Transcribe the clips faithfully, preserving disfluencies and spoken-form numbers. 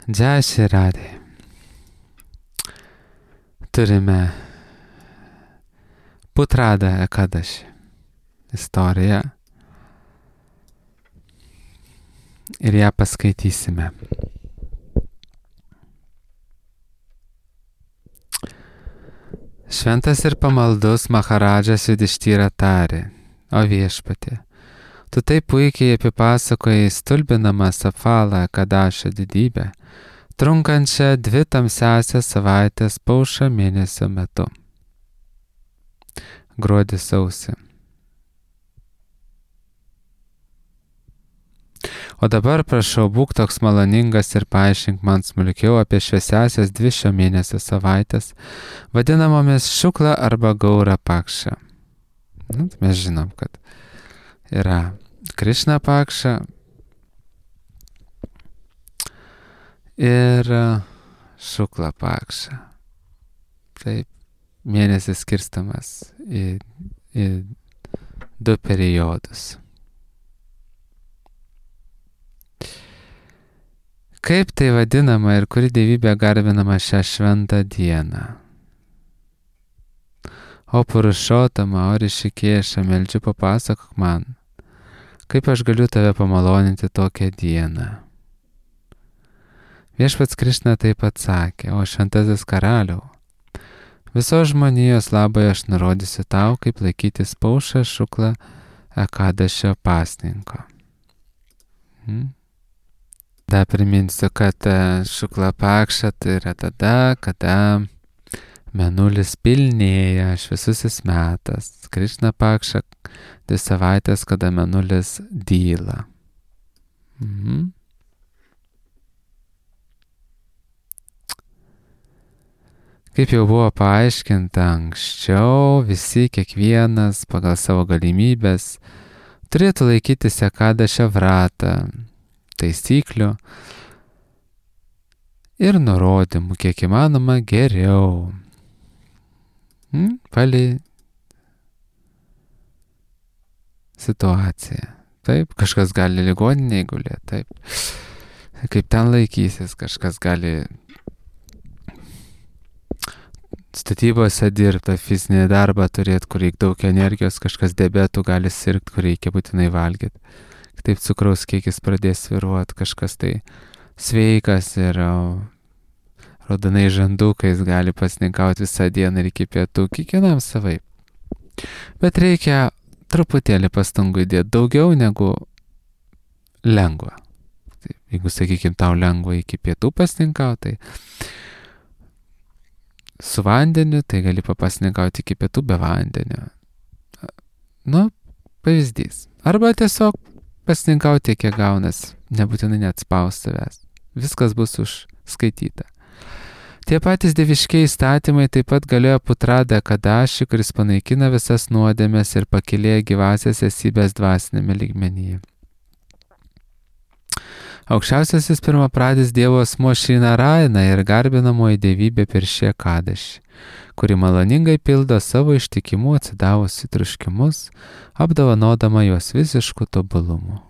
Jai Shri Radhe. Turime Putrada Ekadaši istoriją ir ją paskaitysime. Šventas ir pamaldus Maharadžas Judištyra tarė: O viešpatie, tu taip puikiai apipasakojai stulbinamą Sapfalą Ekadašio didybę, trunkančią dvi tamsiąsias savaitės Paušo mėnesio metu. Gruodį sausį. O dabar prašau, būk toks maloningas ir paaiškink man smulkiau apie šviesiasias dvi šio mėnesio savaitės, vadinamomis Šukla arba Gaura Pakša. Nu, mes žinom, kad yra Krišna Pakša ir Šukla Pakša. Taip, mėnesis skirstamas į, į du periodus. Kaip tai vadinama ir kuri dievybė garbinama šią šventą dieną? O Purušotama, o Rišikėša, meldžiu papasakok man, kaip aš galiu tave pamaloninti tokią dieną. Viešpats Krišna taip atsakė: O šventasis karaliau, visos žmonijos labai aš nurodysiu tau, kaip laikytis Paušą Šuklą Ekadašio pasninko. Hmm? Dar priminsiu, kad Šukla Pakša tai yra tada, kada mėnulis pilnėja, šviesusis metas. Krišna Pakša dvi savaitės, kada mėnulis dyla. Mhm. Kaip jau buvo paaiškinta anksčiau, visi kiekvienas pagal savo galimybės turėtų laikytis Ekadašio vratą, taisyklių ir nurodymų, kiek įmanoma geriau. Hmm? Palei situaciją. Taip, kažkas gali ligoninėje gulėti, taip. Kaip ten laikysis, kažkas gali statybose dirbti, fizinį darbą turėti, kur reikia daug energijos, kažkas diabetų gali sirgti, kur reikia būtinai valgyti. Taip cukraus kiekis pradės sviruoti, kažkas tai sveikas ir raudonai žandukais gali pasninkauti visą dieną ir iki pietų, kiekvienam savaip. Bet reikia truputėlį pastangų įdėti, daugiau negu lengva. Taip, jeigu, sakykime, tau lengva iki pietų pasninkauti, tai su vandeniu, tai gali papasninkauti iki pietų be vandenio. Nu, pavyzdys. Arba tiesiog pasninkauti, kiek gaunas, nebūtinai net spaus savęs. Viskas bus užskaityta. Tie patys dieviškiai įstatymai taip pat galioja Putrada Ekadaši, kuris panaikina visas nuodėmes ir pakilėja gyvasias esybės dvasinėme lygmenyje. Aukščiausiasis pirmapradis Dievo asmuo Šri Narayana ir garbinamoji dievybė per šį Ekadašį, kuri maloningai pildo savo ištikimų atsidavusi troškimus, apdovanodama juos visišku tobulumu.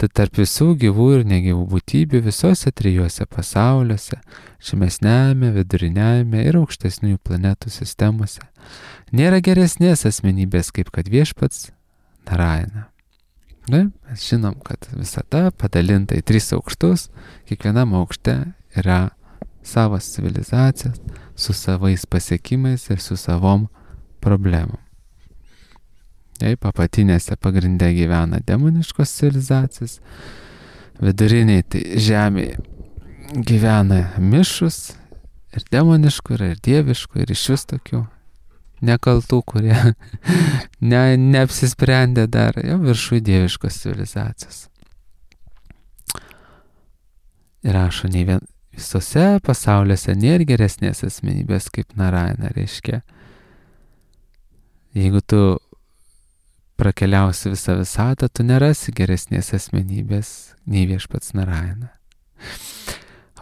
Tad tarp visų gyvų ir negyvų būtybių visose trijuose pasauliuose, žemesniajame, viduriniajame ir aukštesniųjų planetų sistemose, nėra geresnės asmenybės kaip kad viešpats Narayana. Na, mes žinom, kad visata padalinta į tris aukštus, kiekvienam aukšte yra savas civilizacijas, su savais pasiekimais ir su savom problemom. Taip, apatinėse pagrinde gyvena demoniškos civilizacijos, viduriniai tai žemėje gyvena mišus, ir demoniškų, ir dieviškų, ir iš vis tokių nekaltų, kurie ne, neapsisprendė dar, jau viršų dieviškos civilizacijos. Ir rašo, nei vien, visose pasauliuose nėra geresnės asmenybės kaip Narayana, reiškia. Jeigu tu prakeliausi visą visatą, tu nerasi geresnės asmenybės nei viešpats Narayana.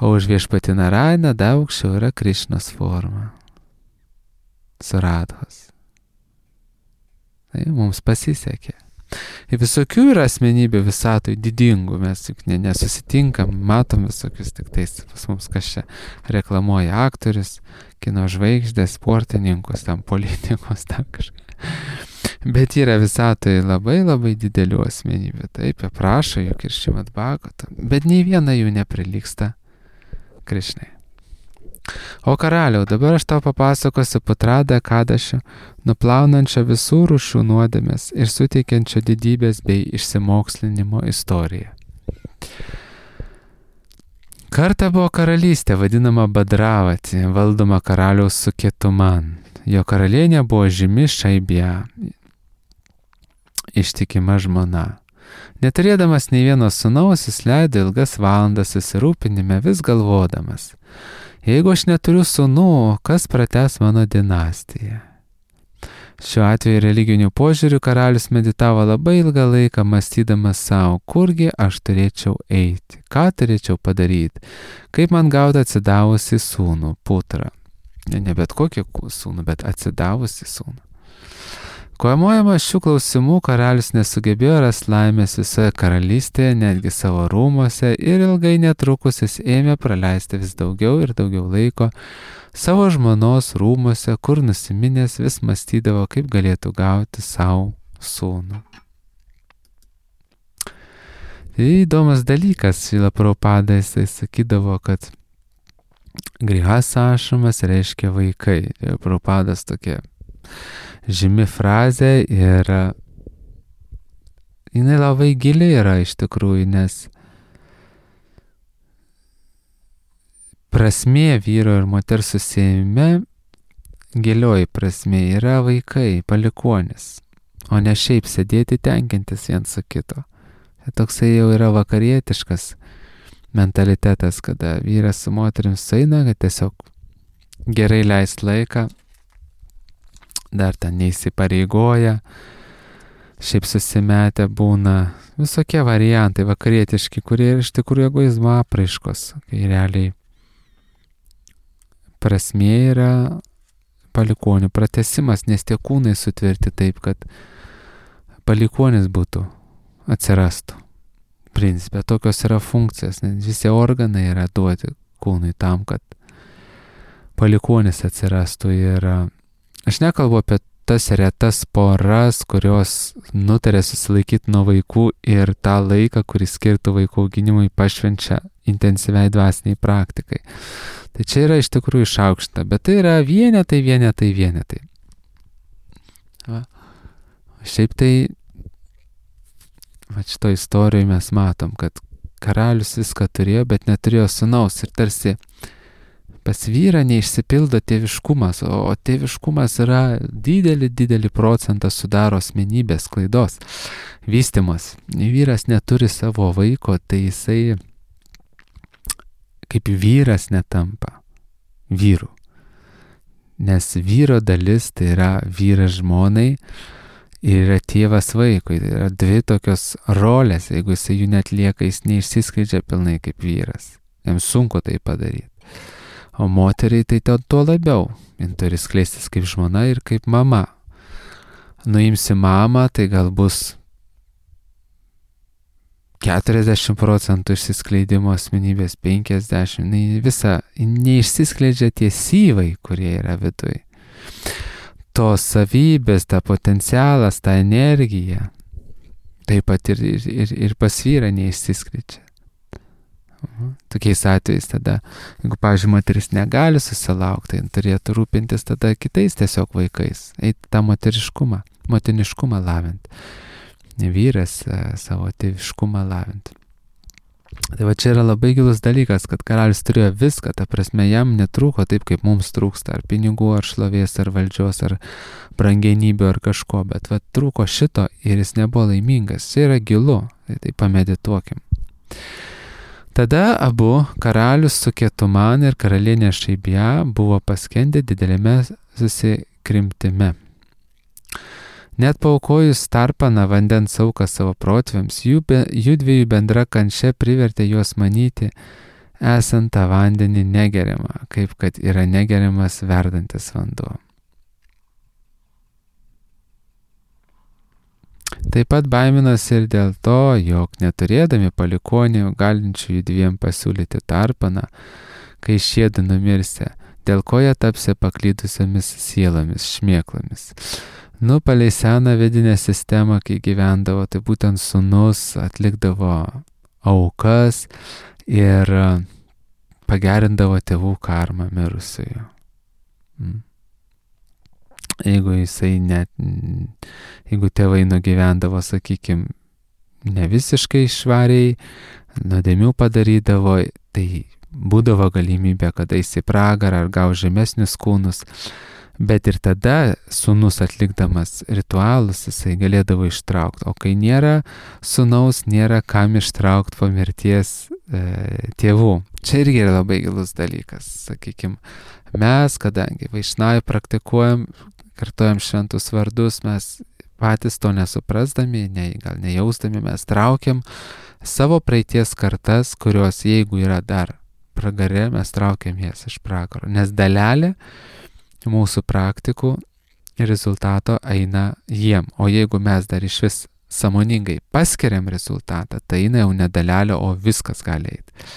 O už viešpatį Narayaną daug aukščiau yra Krišnos forma. Suradhos. Tai mums pasisekė. Ir visokių yra asmenybių visatoj didingų, mes juk ne, nesusitinkam, matom visokius tik tais, pas mums kas čia reklamuoja aktorius, kino žvaigždės, sportininkus, tam politikus, tam kažką. Bet yra visatoj labai labai didelių asmenybių, taip, aprašo juk ir Šrimad Bhagavatam, bet nei viena jų neprilygsta Krišnai. O karaliau, dabar aš tau papasakosiu Putradą Kadašio, nuplaunančią visų rūšių nuodėmės ir suteikiančią didybės bei išsimokslinimo istoriją. Kartą buvo karalystė, vadinama Badravati, valdoma karaliaus Suketuman. Jo karalienė buvo žymi Šaibja, ištikima žmona. Neturėdamas nei vieno sūnaus, jis leido ilgas valandas susirūpinime, vis galvodamas: jeigu aš neturiu sūnų, kas pratęs mano dinastiją? Šiuo atveju religinių požiūrių karalius meditavo labai ilgą laiką, mąstydamas savo, kurgi aš turėčiau eiti, ką turėčiau padaryti, kaip man gauti atsidavusi sūnų, putrą. Ne, ne bet kokį sūnų, bet atsidavusi sūnų. Kovojamas šių klausimų karalius nesugebėjo rasti laimės visoje karalystėje, netgi savo rūmuose, ir ilgai netrukus jis ėmė praleisti vis daugiau ir daugiau laiko savo žmonos rūmuose, kur nusiminęs vis mąstydavo, kaip galėtų gauti savo sūnų. Tai įdomus dalykas, Šrila Prabhupada, jisai sakydavo, kad grihasašramas reiškia vaikai. Prabhupadas tokia žymi frazė ir jinai labai gili yra iš tikrųjų, nes prasmė vyro ir moters susiejime, gilioji prasmė yra vaikai, palikuonis, o ne šiaip sėdėti tenkintis viens su kito. Tai toksai jau yra vakarietiškas mentalitetas, kada vyras su moterim sueina, kad tiesiog gerai leist laiką, dar ten neįsipareigoja, šiaip susimetę būna, visokie variantai vakarietiški, kurie iš tikrųjų egoizmo apraiškos, kai realiai prasmė yra palikonių pratęsimas, nes tie kūnai sutverti taip, kad palikonis būtų, atsirastų. Principė, tokios yra funkcijos, nes visi organai yra duoti kūnui tam, kad palikonis atsirastų. Ir aš nekalbu apie tas retas poras, kurios nutarė susilaikyti nuo vaikų ir tą laiką, kurį skirtų vaikų auginimui, pašvenčia intensyviai dvasiniai praktikai. Tai čia yra iš tikrųjų išaukšta, bet tai yra vienetai, vienetai, vienetai. Va. Šiaip tai, va šito istorijoje mes matom, kad karalius viską turėjo, bet neturėjo sūnaus ir tarsi pas vyrą neišsipildo tėviškumas, o, o tėviškumas yra didelį, didelį procentą sudaro asmenybės klaidos, vystymas. Vyras neturi savo vaiko, tai jisai kaip vyras netampa vyru. Nes vyro dalis tai yra vyras žmonai ir yra tėvas vaikui. Tai yra dvi tokios rolės, jeigu jisai jų netlieka, jis neišsiskleidžia pilnai kaip vyras. Jam sunku tai padaryti. O moteriai tai tuo labiau. Jis turi skleistis kaip žmona ir kaip mama. Nuimsi mamą, tai gal bus keturiasdešimt procentų išsiskleidimo asmenybės, penkiasdešimt. Visa neišsiskleidžia tie syvai, kurie yra viduj. Tos savybės, ta potencialas, ta energija, taip pat ir, ir, ir, ir pas vyrą neišsiskleidžia. Tokiais atvejais tada, jeigu, pavyzdžiui, moteris negali susilaukti, tai turėtų rūpintis tada kitais tiesiog vaikais, eiti tą moteriškumą, motiniškumą lavinti, vyras savo tėviškumą lavinti. Tai va čia yra labai gilus dalykas, kad karalius turėjo viską, ta prasme jam netrūko taip, kaip mums trūksta, ar pinigų, ar šlovės, ar valdžios, ar brangenybių, ar kažko, bet va trūko šito ir jis nebuvo laimingas. Čia yra gilu, tai, tai pamedituokim. Tada abu, karalius Suketuman ir karalienė Šaibja, buvo paskendę didelėme susikrimtime. Net paaukojus tarpaną vandens auką savo protėviams, jų, be, jų dviejų bendra kančia privertė juos manyti, esant tą vandenį negeriamą, kaip kad yra negeriamas verdantis vanduo. Taip pat baiminosi ir dėl to, jog neturėdami palikonių galinčių jų dviem pasiūlyti tarpaną, kai šiedu numirsia, dėl ko jie tapsi paklydusiomis sielomis, šmėklomis. Nu, palei seną vidinę sistemą, kai gyvendavo, tai būtent sūnus atlikdavo aukas ir pagerindavo tėvų karmą mirusiojo. Mm. Jeigu jisai net, jeigu tėvai nugyvendavo, sakykime, ne visiškai švariai, nuodėmių padarydavo, tai būdavo galimybė, kada eis į pragarą ar gaus žemesnius kūnus, bet ir tada sūnus atlikdamas ritualus jisai galėdavo ištraukti, o kai nėra sūnaus, nėra kam ištraukti po mirties e, tėvų. Čia irgi yra labai gilus dalykas, sakykime, mes, kadangi vaišnavai praktikuojam, kartojam šventus vardus, mes patys to nesuprasdami, ne, gal nejausdami, mes traukiam savo praeities kartas, kurios jeigu yra dar pragare, mes traukiam jas iš pragaro, nes dalelė mūsų praktikų rezultato eina jiem, o jeigu mes dar iš vis sąmoningai paskiriam rezultatą, tai eina jau ne dalelė, o viskas gali eiti.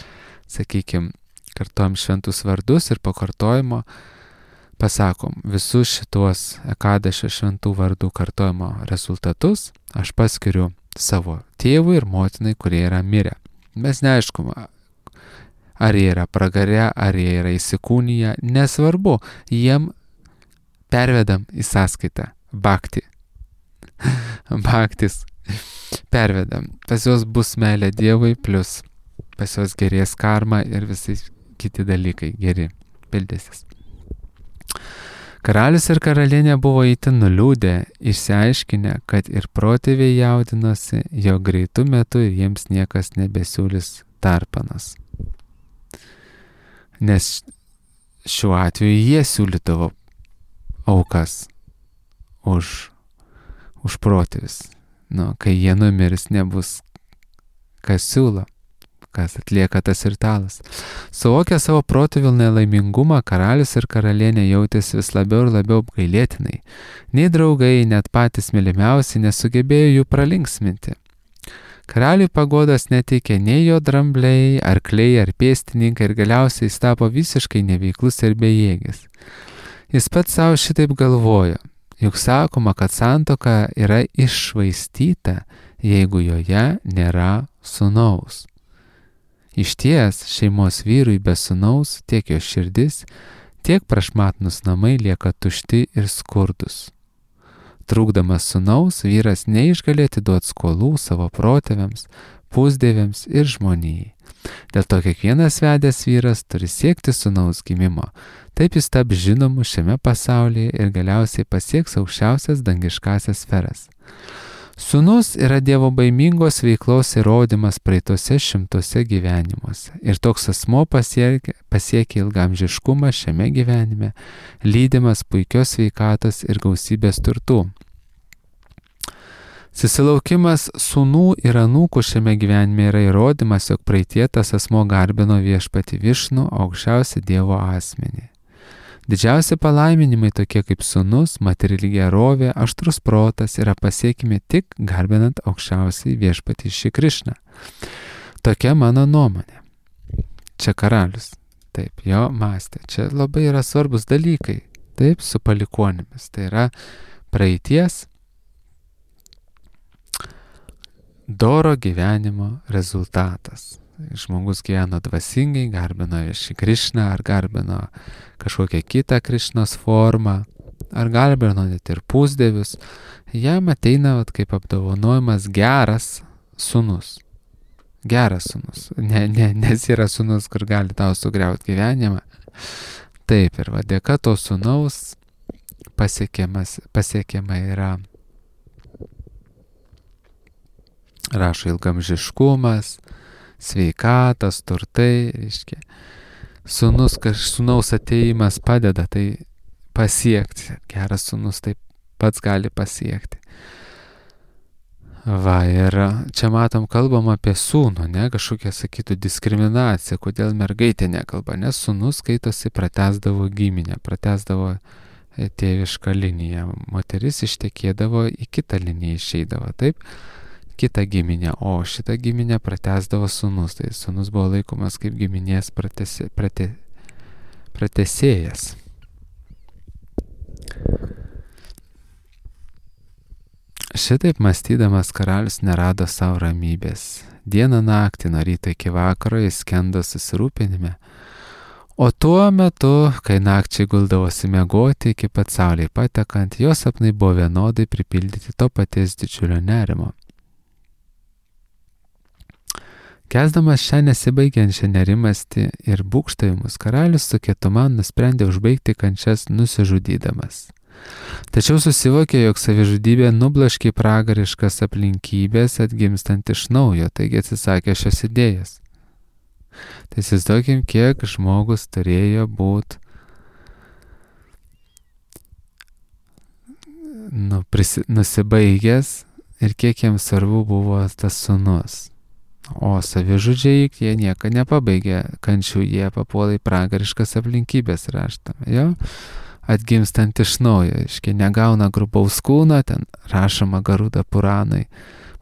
Sakykime, kartojam šventus vardus ir po kartojimo pasakom visus šitos ekadašio šventų vardų kartojimo rezultatus aš paskiriu savo tėvui ir motinai, kurie yra mirę. Mes neaišku, ar jie yra pragare, ar jie yra įsikūnyje, nesvarbu, jiem pervedam į sąskaitą bhakti. Bhaktis pervedam. Pas juos bus meilė Dievui, plus pas juos gerės karma ir visai kiti dalykai geri pildysis. Karalius ir karalienė buvo itin nuliūdę, išsiaiškinę, kad ir protėviai jaudinosi, jog greitų metų jiems niekas nebesiūlys tarpanas. Nes šiuo atveju jie siūlydavo aukas už, už protėvis. Nu, kai jie numirs, nebus kas siūlo, kas atlieka tas ritualas. Suvokę savo protėvių nelaimingumą, karalius ir karalienė jautėsi vis labiau ir labiau apgailėtinai. Nei draugai, net patys mylimiausi nesugebėjo jų pralinksminti. Karaliui paguodos neteikė nei jo drambliai, arkliai ar pėstininkai ir galiausiai jis tapo visiškai neveiklus ir bejėgis. Jis pats savo šitaip galvojo, juk sakoma, kad santuoka yra iššvaistyta, jeigu joje nėra sūnaus. Išties, šeimos vyrui be sūnaus tiek jo širdis, tiek prašmatnus namai lieka tušti ir skurdus. Trūkdamas sūnaus, vyras neišgali atiduoti skolų savo protėviams, pusdieviams ir žmonijai. Dėl to kiekvienas vedęs vyras turi siekti sūnaus gimimo. Taip jis taps žinomu šiame pasaulyje ir galiausiai pasieks aukščiausias dangiškasias sferas. Sūnus yra Dievo baimingos veiklos įrodymas praeitose šimtuose gyvenimuose. Ir toks asmo pasiekia, pasiekia ilgamžiškumą šiame gyvenime, lydimas puikios sveikatos ir gausybės turtų. Susilaukimas sūnų ir anūkų šiame gyvenime yra įrodymas, jog praeitie tas asmo garbino viešpatį Višnų, aukščiausią Dievo asmenį. Didžiausi palaiminimai tokie kaip sūnus, materiali gerovė, aštrus protas yra pasiekimi tik garbinant aukščiausiai viešpatį Šri Krišną. Tokia mano nuomonė. Čia karalius. Taip, jo mąstė. Čia labai yra svarbus dalykai. Taip, su palikonimis. Tai yra praeities doro gyvenimo rezultatas. Žmogus gyveno dvasingai, garbino Šri Krišną, ar garbino kažkokią kitą Krišnos formą, ar garbino net ir pusdievius, jam ateina vat, kaip apdovanojimas geras sūnus. Geras sūnus. Ne, ne, nes yra sūnus, kur gali tau sugriauti gyvenimą. Taip, ir va, dėka to sūnaus pasiekiama yra, rašo, ilgamžiškumas, sveikatas, turtai, reiškia, sūnus, sūnaus ateimas padeda tai pasiekti. Geras sūnus taip pats gali pasiekti. Va, ir čia matom, kalbam apie sūnų, ne, kažkokia, sakytų, diskriminacija, kodėl mergaitė nekalba, nes sūnus skaitosi pratęsdavo giminę, pratęsdavo tėvišką liniją. Moteris ištekėdavo į kitą liniją išeidavo, taip, kitą giminę, o šitą giminę pratęsdavo sūnus. Tai sūnus buvo laikomas kaip giminės pratesi, prate, pratesėjas. Šitaip mąstydamas karalius nerado savo ramybės. Dieną naktį nuo ryto iki vakaro jis skendo susirūpinime, o tuo metu, kai nakčiai guldavosi miegoti iki pat saulei patekant, jos sapnai buvo vienodai pripildyti to paties didžiulio nerimo. Kesdamas šią nesibaigiančią nerimastį ir būgštavimus, karalius su Ketuman nusprendė užbaigti kančias nusižudydamas. Tačiau susivokė, jog savižudybė nublaškė pragariškas aplinkybės atgimstant iš naujo, taigi atsisakė šios idėjos. Tai įsivaizduokim, kiek žmogus turėjo būti nu, prisi, nusibaigęs ir kiek jiems svarbu buvo tas sūnus. O savižudžiai, jie nieko nepabaigė kančių, jie papuolė į pragariškas aplinkybės raštame. Jo? Atgimstant iš naujo, iškai negauna grubaus kūno, ten rašoma Garuda Puranai,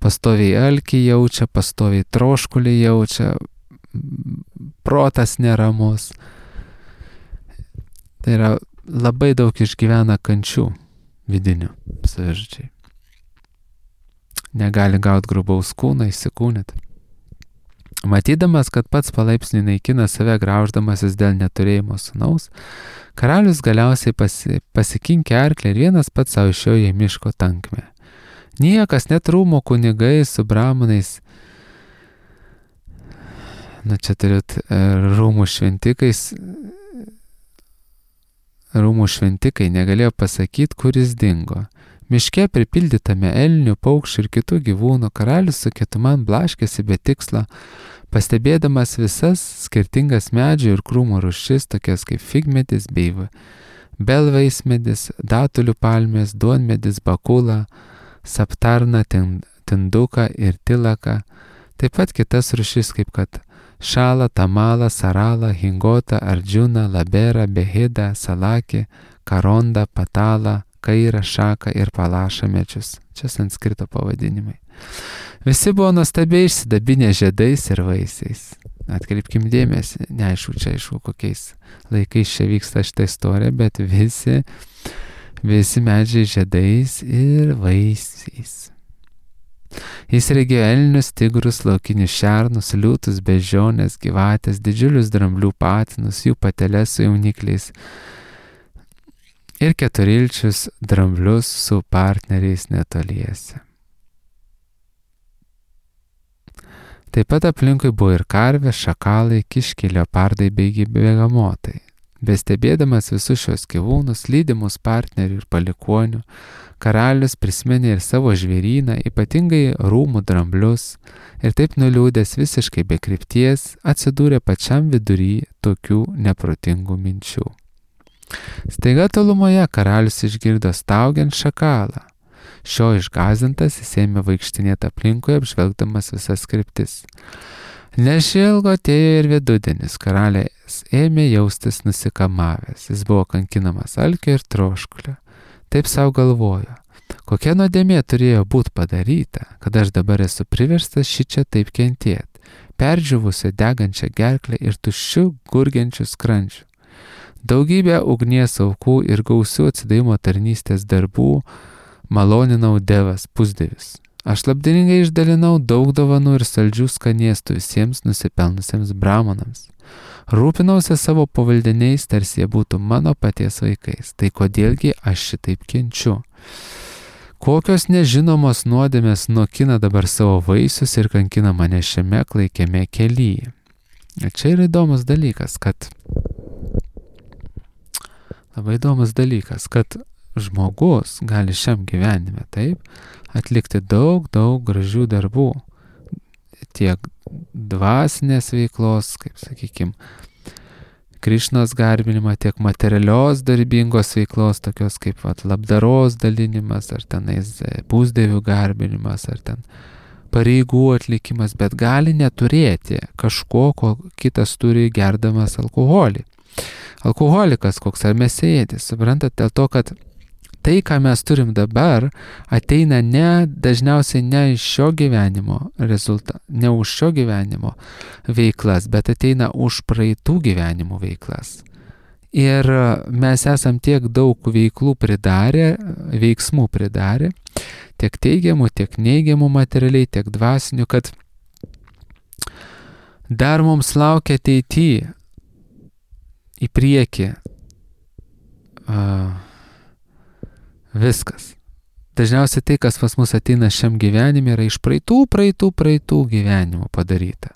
pastoviai alkį jaučia, pastoviai troškulį jaučia, protas neramus. Tai yra labai daug išgyvena kančių vidinių savižudžiai. Negali gauti grubaus kūno, įsikūnyti. Matydamas, kad pats palaipsniui naikina save grauždamasis dėl neturėjimo sūnaus, karalius galiausiai pasi, pasikinkė arklį ir vienas pats savo išėjo į miško tankmę. Niekas, net rūmų kunigai su bramonais, na čia turėt rūmų šventikais, rūmų šventikai negalėjo pasakyti, kuris dingo. Miške pripildytame elnių, paukščių ir kitų gyvūnų karalius su Ketuman blaškėsi be tikslo, pastebėdamas visas skirtingas medžių ir krūmų rūšis, tokias kaip figmedis bei belvaismedis, datulių palmės, duonmedis, bakula, saptarna, tinduka ir tilaka, taip pat kitas rūšis kaip kad šala, tamala, sarala, hingota, ardžuna, labera, behida, salaki, karonda, patala, kaira, šaka ir palaša medžius. Čia sanskrito pavadinimai. Visi buvo nuostabiai išsidabinę žiedais ir vaisiais. Atkreipkim dėmesį, neaišku, čia aišku, kokiais laikais čia vyksta šitą istoriją, bet visi, visi medžiai žiedais ir vaisiais. Jis regėjo elnius, tigrus, laukinius šernus, liūtus, beždžiones, gyvatės, didžiulius dramblių patinus, jų pateles su jaunikliais ir keturilčius dramblius su partneriais netoliese. Taip pat aplinkui buvo ir karvė, šakalai, kiškiai, leopardai bei begamotai. Bestebėdamas visus šios gyvūnus, lydimus partnerių ir palikuonių, karalius prisiminė ir savo žvėryną, ypatingai rūmų dramblius, ir taip nuliūdęs visiškai be krypties atsidūrė pačiam vidury tokių neprotingų minčių. Staiga tolumoje karalius išgirdo staugiant šakalą. Šio išgąsdintas jis ėmė vaikštinėti aplinkui, apžvelgdamas visas kryptis. Nešilgo atėjo ir vidudienis, karalius ėmė jaustis nusikamavęs, jis buvo kankinamas alkio ir troškulio. Taip savo galvojo, kokia nuodėmė turėjo būti padaryta, kad aš dabar esu priverstas šičia taip kentėti, perdžiuvusią degančią gerklę ir tuščių gurgiančių skrandžių. Daugybę ugnies aukų ir gausių atsidavimo tarnystės darbų maloninau Devas pusdievis. Aš labdaringai išdalinau daug dovanų ir saldžių skanėstų visiems nusipelnusiems bramonams. Rūpinausi savo pavaldiniais, tarsi jie būtų mano paties vaikais. Tai kodėlgi aš šitaip kenčiu? Kokios nežinomos nuodėmės nokina dabar savo vaisius ir kankina mane šiame klaikiame kelyje? Ir čia yra įdomus dalykas, kad labai įdomus dalykas, kad žmogus gali šiam gyvenime taip atlikti daug, daug gražių darbų, tiek dvasinės veiklos, kaip sakykime, Krišnos garbinimą, tiek materialios darbingos veiklos, tokios kaip vat, labdaros dalinimas, ar tenais pusdievių garbinimas, ar ten pareigų atlikimas, bet gali neturėti kažko, ko kitas turi gerdamas alkoholį. alkoholikas koks ar mėsėdis, suprantat, dėl to, kad tai, ką mes turim dabar, ateina ne, dažniausiai ne iš šio gyvenimo rezultatą, ne už šio gyvenimo veiklas, bet ateina už praeitų gyvenimų veiklas. Ir mes esam tiek daug veiklų pridarę, veiksmų pridarę, tiek teigiamų, tiek neigiamų materialiai, tiek dvasinių, kad dar mums laukia ateityje į priekį uh, viskas. Dažniausiai tai, kas pas mus ateina šiam gyvenime, yra iš praeitų, praeitų, praeitų gyvenimų padaryta.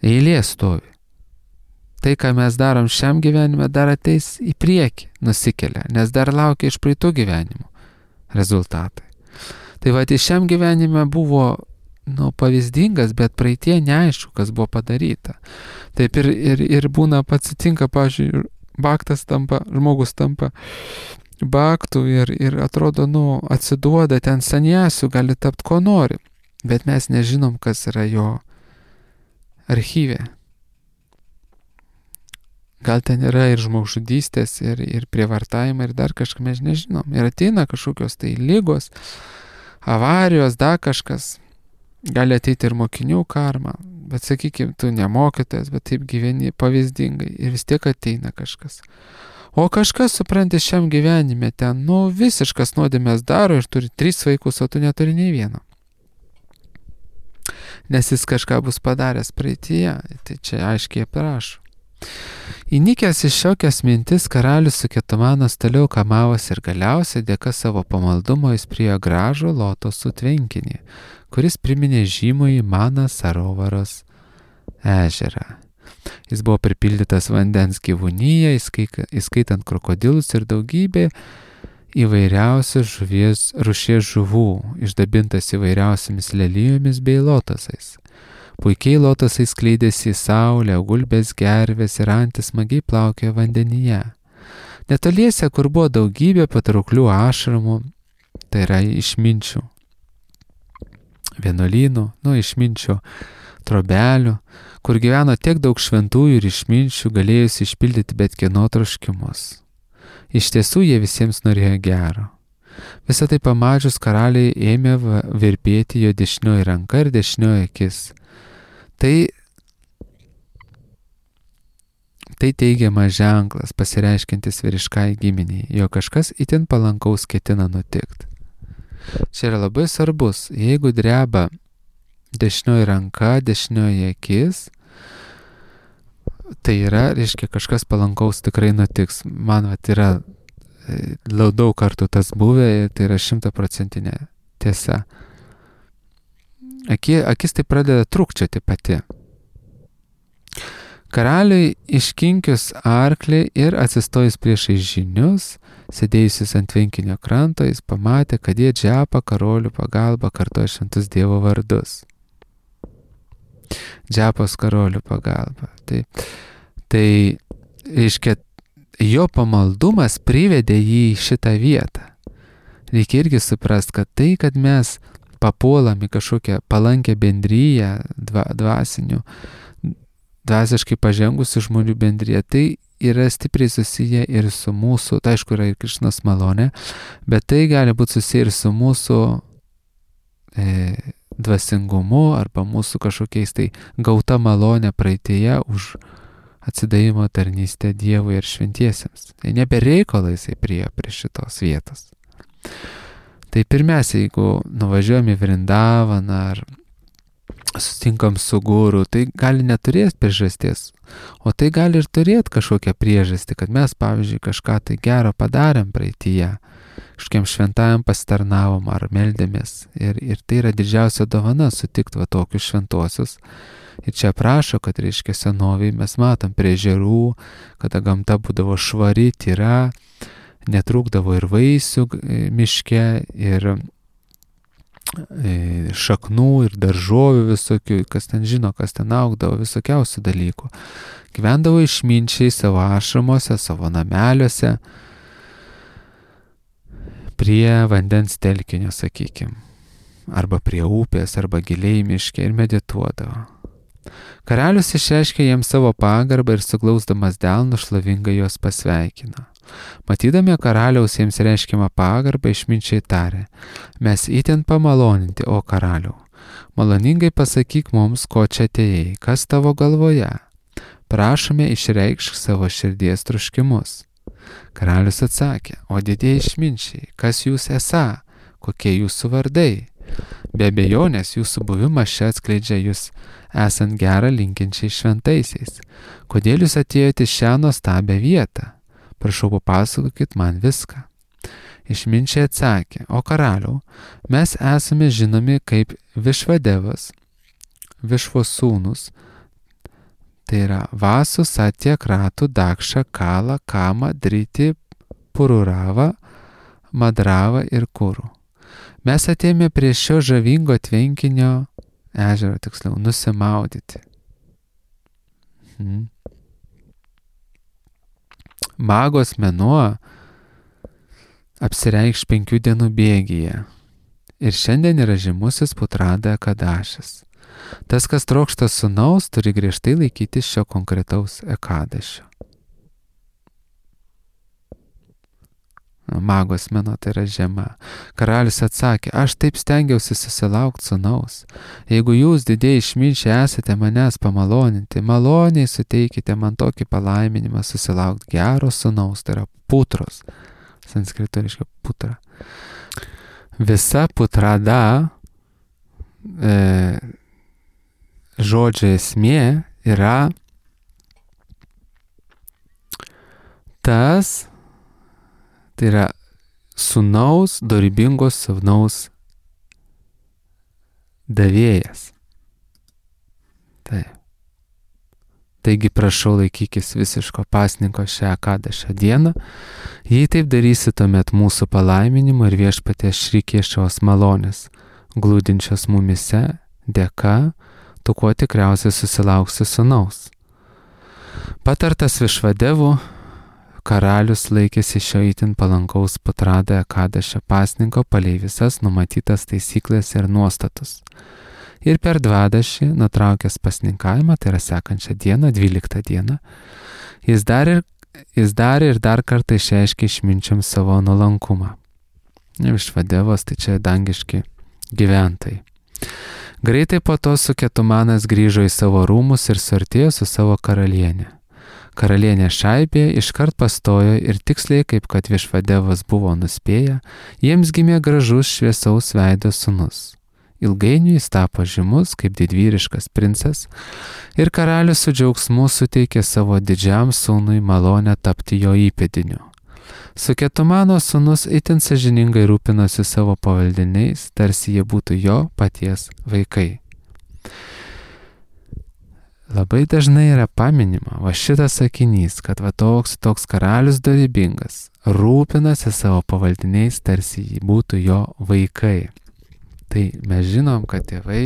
Eilė stovi. Tai, ką mes darom šiam gyvenime, dar ateis į priekį, nusikelia, nes dar laukia iš praeitų gyvenimų rezultatai. Tai va, tai šiam gyvenime buvo nu, pavyzdingas, bet praeitie neaišku, kas buvo padaryta. Taip ir, ir, ir būna pats atsitinka, pavyzdžiui, baktas tampa, žmogus tampa baktų ir, ir atrodo, nu, atsiduoda ten saniasių, gali tapti ko nori, bet mes nežinom, kas yra jo archyve. Gal ten yra ir žmogžudystės, ir, ir prievartavimai, ir dar kažką mes nežinom. Ir ateina kažkokios tai lygos, avarijos, dar kažkas. Gali ateiti ir mokinių karma, bet sakykime, tu nemokytas, bet taip gyveni pavyzdingai ir vis tiek ateina kažkas. O kažkas, supranti, šiam gyvenime ten, nu, visiškas nuodėmės daro ir turi tris vaikus, o tu neturi nei vieno. Nes jis kažką bus padaręs praeityje, tai čia aiškiai aprašo. Įnikęs iš šiokias mintis, karalius su Ketumanas toliau kamavosi ir galiausiai dėka savo pamaldumo jis priejo gražų lotosų tvenkinį, kuris priminė žymųjį Mana Sarovaros ežerą. Jis buvo pripildytas vandens gyvūnyje, įskaitant krokodilus ir daugybė įvairiausių žuvies, rūšies žuvų, išdabintas įvairiausiamis lelijomis bei lotosais. Puikiai lotosai skleidėsi į saulę, gulbės gervės ir antys smagiai plaukė vandenyje. Netoliese, kur buvo daugybė patrauklių ašramų, tai yra išminčių vienuolynų, nu išminčių trobelių, kur gyveno tiek daug šventųjų ir išminčių, galėjusi išpildyti bet kieno troškimus. Iš tiesų jie visiems norėjo gero. Visą tai pamačius karaliai ėmė virpėti jo dešinioji ranka ir dešinioji akis. Tai, tai teigiamas ženklas, pasireiškintis vyriškai giminiai, jo kažkas itin palankaus ketina nutikti. Čia yra labai svarbus, jeigu dreba dešinioji ranka, dešinioji akis, tai yra, reiškia, kažkas palankaus tikrai nutiks. Man vat yra daug kartų tas buvę, tai yra šimtaprocentinė tiesa. Aki, akis tai pradeda trūkčioti pati. Karaliui iškinkius arklį ir atsistojus priešais žynius, sėdėjusius ant tvenkinio kranto, jis pamatė, kad jie džepa karolių pagalba kartoja šventus Dievo vardus. Džepos karolių pagalba. Tai, tai reiškia, jo pamaldumas privedė jį į šitą vietą. Reikia irgi suprast, kad tai, kad mes papuolam į kažkokią palankę bendryją dva, dvasinių, dvasiškai pažengusių žmonių bendryje, tai yra stipriai susiję ir su mūsų, tai aišku yra ir Krišnos malonė, bet tai gali būti susiję ir su mūsų e, dvasingumu arba mūsų kažkokiais tai gauta malonė praeitėje už atsidavimo tarnystę Dievui ir šventiesiems. Tai nebe reikalai jisai priejo prie šitos vietos. Tai pirmiausia, jeigu nuvažiuojam į Vrindavaną ar susitinkam su guru, tai gali neturėti priežasties, o tai gali ir turėti kažkokią priežastį, kad mes, pavyzdžiui, kažką tai gero padarėm praeityje, kažkiem šventajam pasitarnavom ar meldėmės. Ir, ir tai yra didžiausia dovana sutikti va tokius šventuosius. Ir čia prašo, kad reiškia senoviai mes matom prie ežerų, kada gamta būdavo švari, tyra, netrūkdavo ir vaisių miške, ir šaknų, ir daržovių visokių, kas ten žino, kas ten augdavo, visokiausių dalykų. Gyvendavo išminčiai savo ašramuose, savo nameliuose, prie vandens telkinio, sakykim, arba prie upės, arba giliai miške ir medituodavo. Karalius išreiškė jiems savo pagarbą ir suglausdamas delnu šlovingai juos pasveikino. Matydami karaliaus jiems reiškiamą pagarbą, išminčiai tarė: mes itin pamaloninti, o karaliau. Maloningai pasakyk mums, ko čia atėjai, kas tavo galvoje. Prašome, išreikšk savo širdies troškimus. Karalius atsakė: o didieji išminčiai, kas jūs esą, kokie jūsų vardai? Be abejonės jūsų buvimas čia atskleidžia jūs esant gerą linkinčiai šventaisiais. Kodėl jūs atėjote šią nuostabią vietą? Prašau, papasakokit man viską. Išminčiai atsakė: o karaliau, mes esame žinomi kaip Višvadevas, Višvos sūnus, tai yra Vasu, Satya, Kratu, Dakša, Kala, Kama, Driti, Pururava, Madrava ir Kuru. Mes atėjome prie šio žavingo tvenkinio ežero, tiksliau, nusimaudyti. Hmm. Magos mėnuo apsireikš penkių dienų bėgyje. Ir šiandien yra žymusis Putrada Ekadašis. Tas, kas trokšta sūnaus, turi griežtai laikyti šio konkretaus ekadašio. Magos mėnuo tai yra žiema. Karalius atsakė: aš taip stengiausi susilaukti sūnaus. Jeigu jūs, didieji išminčiai, esate manęs pamaloninti, maloniai suteikite man tokį palaiminimą susilaukti gero sūnaus, tai yra putros. Sanskrito reiškia putra. Visa putrada e, žodžio esmė yra tas, tai yra sūnaus, dorybingos sūnaus davėjas. Taip. Taigi prašau, laikykis visiško pasninko šią Ekadašio dieną. Jei taip darysi, tuomet mūsų palaiminimo ir viešpaties šrikiešos malonės, glūdinčios mumise, dėka, tu kuo tikriausiai susilauksi sūnaus. Patartas Višvadevų, karalius laikėsi šio itin palankaus Putrada Ekadašio pasninko palei visas numatytas taisyklės ir nuostatus. Ir per dvadašį, nutraukęs pasninkavimą, tai yra sekančią dieną, dvyliktą dieną, jis dar ir, jis dar ir dar kartą išreiškė išminčiam savo nuolankumą. Višvadevas, tai čia dangiški gyventojai. Greitai po to Suketumanas grįžo į savo rūmus ir suartėjo su savo karalienė. Karalienė Šaibė iškart pastojo ir tiksliai, kaip kad Višvadevas buvo nuspėję, jiems gimė gražus šviesaus veido sūnus. Ilgainiui jis tapo žymus kaip didvyriškas princas ir karalius su džiaugsmu suteikė savo didžiam sūnui malonę tapti jo įpėdiniu. Suketumano sūnus itin sąžiningai rūpinosi savo pavaldiniais, tarsi jie būtų jo paties vaikai. Labai dažnai yra paminima va šitas sakinys, kad va toks, toks karalius dorybingas rūpinasi savo pavaldiniais, tarsi jie būtų jo vaikai. Tai mes žinom, kad tėvai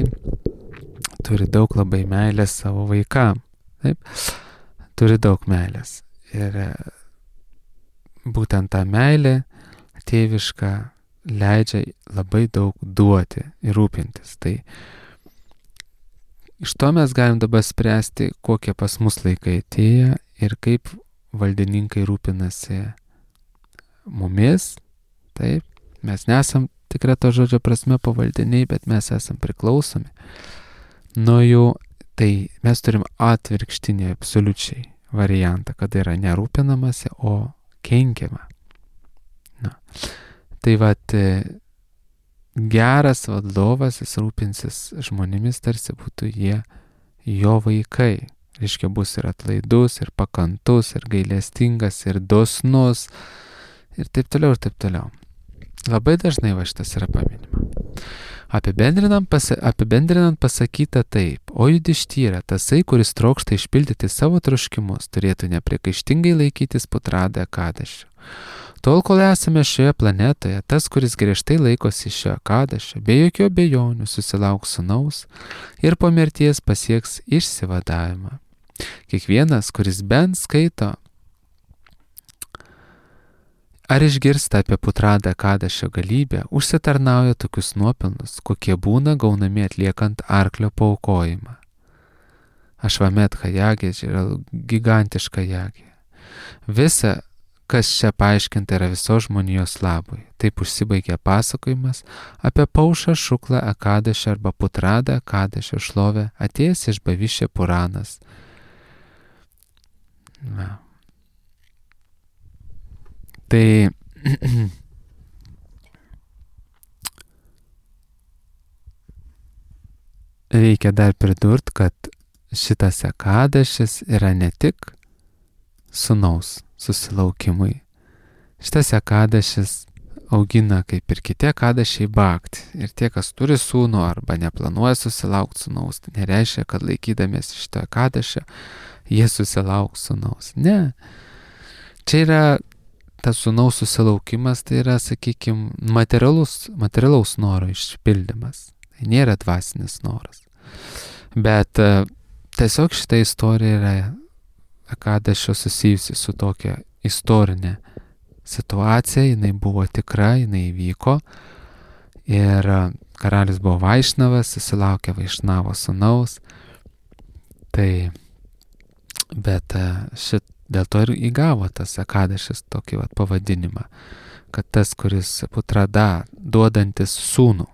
turi daug labai meilės savo vaikam. Taip? Turi daug meilės. Ir būtent ta meilė tėviška leidžia labai daug duoti ir rūpintis. Tai iš to mes galim dabar spręsti, kokie pas mus laikai atėję ir kaip valdininkai rūpinasi mumis. Taip? Mes nesam tikra to žodžio prasme pavaldiniai, bet mes esam priklausomi nuo jų. Tai mes turim atvirkštinį absoliučiai variantą, kada yra nerūpinamasi, o kenkiama. Na. Tai vat geras vadovas, jis rūpinsis žmonėmis, tarsi būtų jie jo vaikai. Reiškia, bus ir atlaidus, ir pakantus, ir gailestingas, ir dosnus, ir taip toliau, ir taip toliau. Labai dažnai va šitas yra paminima. Apibendrinant, pasa, apibendrinant pasakyta taip: o Judištyra, tasai, kuris trokšta išpildyti savo troškimus, turėtų nepriekaištingai laikytis Putrada Ekadašio. Tol, kol esame šioje planetoje, tas, kuris griežtai laikosi šio Ekadašio, be jokių abejonių susilauks sūnaus ir po mirties pasieks išsivadavimą. Kiekvienas, kuris bent skaito ar išgirsta apie Putrada Ekadašio galybę, užsitarnauja tokius nuopelnus, kokie būna gaunami atliekant arklio paaukojimą. Ašvametka jagė yra gigantiška jagė. Visa, kas čia paaiškinta, yra visos žmonijos labui. Taip užsibaigė pasakojimas apie Paušą Šuklą Ekadešį arba Putradą Ekadešio šlovę, atėjęs iš Bavišė Puranas. Na. Tai reikia dar pridurti, kad šitas Ekadešis yra ne tik sūnaus susilaukimui. Šitas Ekadešis augina, kaip ir kiti Ekadešiai, baktį. Ir tie, kas turi sūnų arba neplanuoja susilaukti sūnaus, tai nereiškia, kad laikydamiesi šito Ekadešio, jie susilauks sūnaus. Ne. Čia yra tas sūnaus susilaukimas, tai yra, sakykime, materialus, materialaus noro išpildymas. Tai nėra dvasinis noras. Bet tiesiog šita istorija yra Ekadešio susijusi su tokia istorinė situacija, jinai buvo tikra, jinai įvyko ir karalius buvo Vaišnavas, susilaukė Vaišnavo sūnaus. Tai, bet šit, dėl to ir įgavo tas Ekadešis tokį vat pavadinimą, kad tas, kuris Putrada, duodantis sūnų,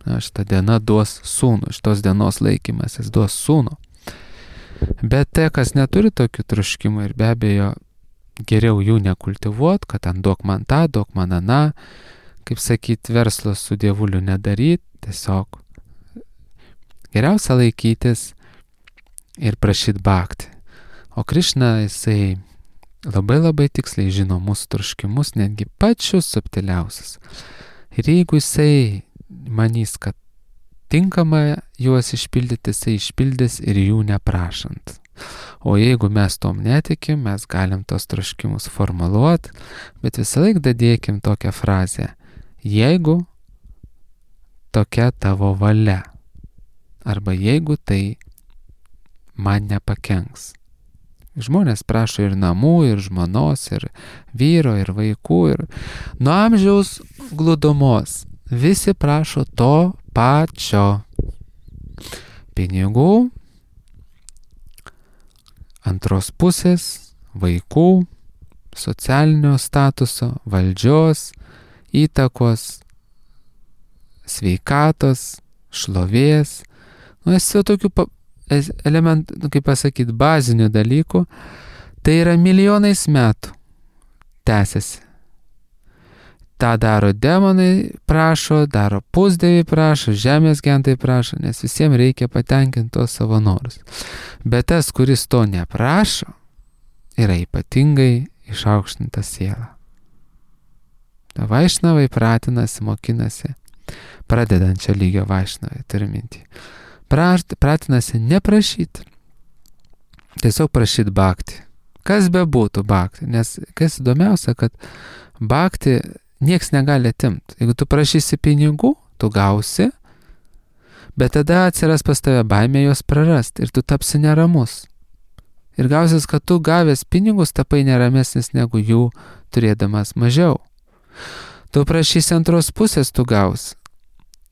na, šitą dieną duos sūnų, šitos dienos laikymas jis duos sūnų. Bet tie, kas neturi tokių troškimų ir be abejo geriau jų nekultivuot, kad ten duok man tą, duok man aną, kaip sakyt, verslo su dievuliu nedaryt, tiesiog geriausia laikytis ir prašyt bhakti. O Krišna, jisai labai labai tiksliai žino mūsų troškimus, netgi pačius subtiliausius. Ir jeigu jisai manys, kad tinkama juos išpildyti, jisai išpildys ir jų neprašant. O jeigu mes tom netikim, mes galim tos troškimus formuluoti, bet visą laiką dadėkim tokią frazę: jeigu tokia tavo valia, arba jeigu tai man nepakenks. Žmonės prašo ir namų, ir žmonos, ir vyro, ir vaikų, ir nuo amžiaus glūdumos. Visi prašo to pačio. Pinigų, antros pusės, vaikų, socialinio statuso, valdžios, įtakos, sveikatos, šlovės. Nu, esi tokių elementų, nu, kaip pasakyti, bazinių dalykų. Tai yra milijonais metų tęsiasi. Ta daro demonai, prašo, daro pusdieviai prašo, žemės gentai prašo, nes visiems reikia patenkinti tos savo norus. Bet tas, kuris to neprašo, yra ypatingai išaukštinta siela. Vaišnavai pratinasi, mokinasi, pradedančio lygio vaišnavai, turiu mintį. Pratinasi neprašyti, tiesiog prašyti bhakti. Kas be būtų bhakti, nes kas įdomiausia, kad bhakti nieks negali atimti. Jeigu tu prašysi pinigų, tu gausi, bet tada atsiras pas tave baimė juos prarasti ir tu tapsi neramus. Ir gausis, kad tu gavęs pinigus tapai neramesnis negu jų turėdamas mažiau. Tu prašysi antros pusės, tu gausi,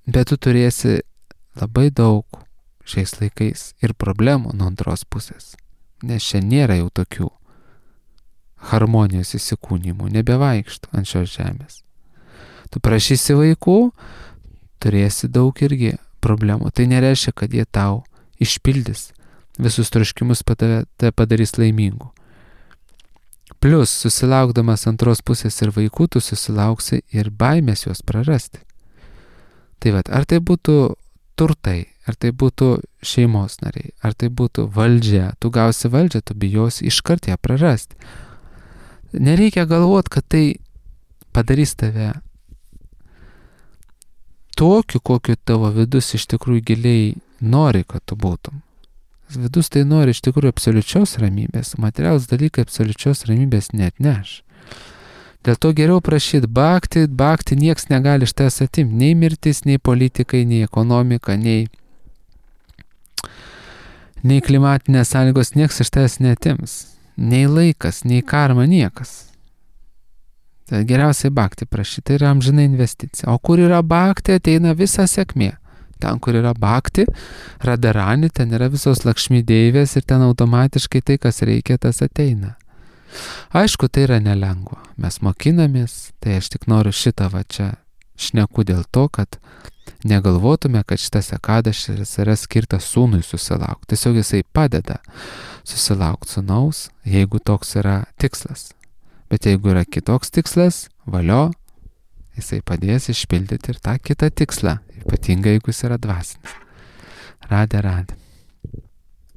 bet tu turėsi labai daug šiais laikais ir problemų nuo antros pusės, nes čia nėra jau tokių harmonijos įsikūnymų, nebevaikštų ant šios žemės. Tu prašysi vaikų, turėsi daug irgi problemų. Tai nereiškia, kad jie tau išpildys visus troškimus, tave padarys laimingų. Plus, susilaukdamas antros pusės ir vaikų, tu susilauksi ir baimės juos prarasti. Tai vat, ar tai būtų turtai, ar tai būtų šeimos nariai, ar tai būtų valdžia, tu gausi valdžią, tu bijosi iškart ją prarasti. Nereikia galvoti, kad tai padarys tave tokiu, kokiu tavo vidus iš tikrųjų giliai nori, kad tu būtum. Vidus tai nori iš tikrųjų absoliučios ramybės, materialūs dalykai absoliučios ramybės neatneš. Dėl to geriau prašyti bhakti, bhakti nieks negali iš tavęs atimti, nei mirtis, nei politikai, nei ekonomika, nei, nei klimatinės sąlygos nieks iš tavęs neatims. Nei laikas, nei karma, niekas. Tai geriausiai bhakti prašyti, tai yra amžina investicija. O kur yra bhakti, ateina visa sėkmė. ten, kur yra bhakti, radharani, ten yra visos lakšmi deivės ir ten automatiškai tai, kas reikia, tas ateina. Aišku, tai yra nelengva. Mes mokinamės, tai aš tik noriu šitą va čia šneku dėl to, kad negalvotume, kad šitas ekadašis yra skirtas sūnui susilaukti. Tiesiog jisai padeda susilaukti sūnaus, jeigu toks yra tikslas. Bet jeigu yra kitoks tikslas, valio, jisai padės išpildyti ir tą kitą tikslą, ypatingai jeigu jis yra dvasinis. Radė, radė.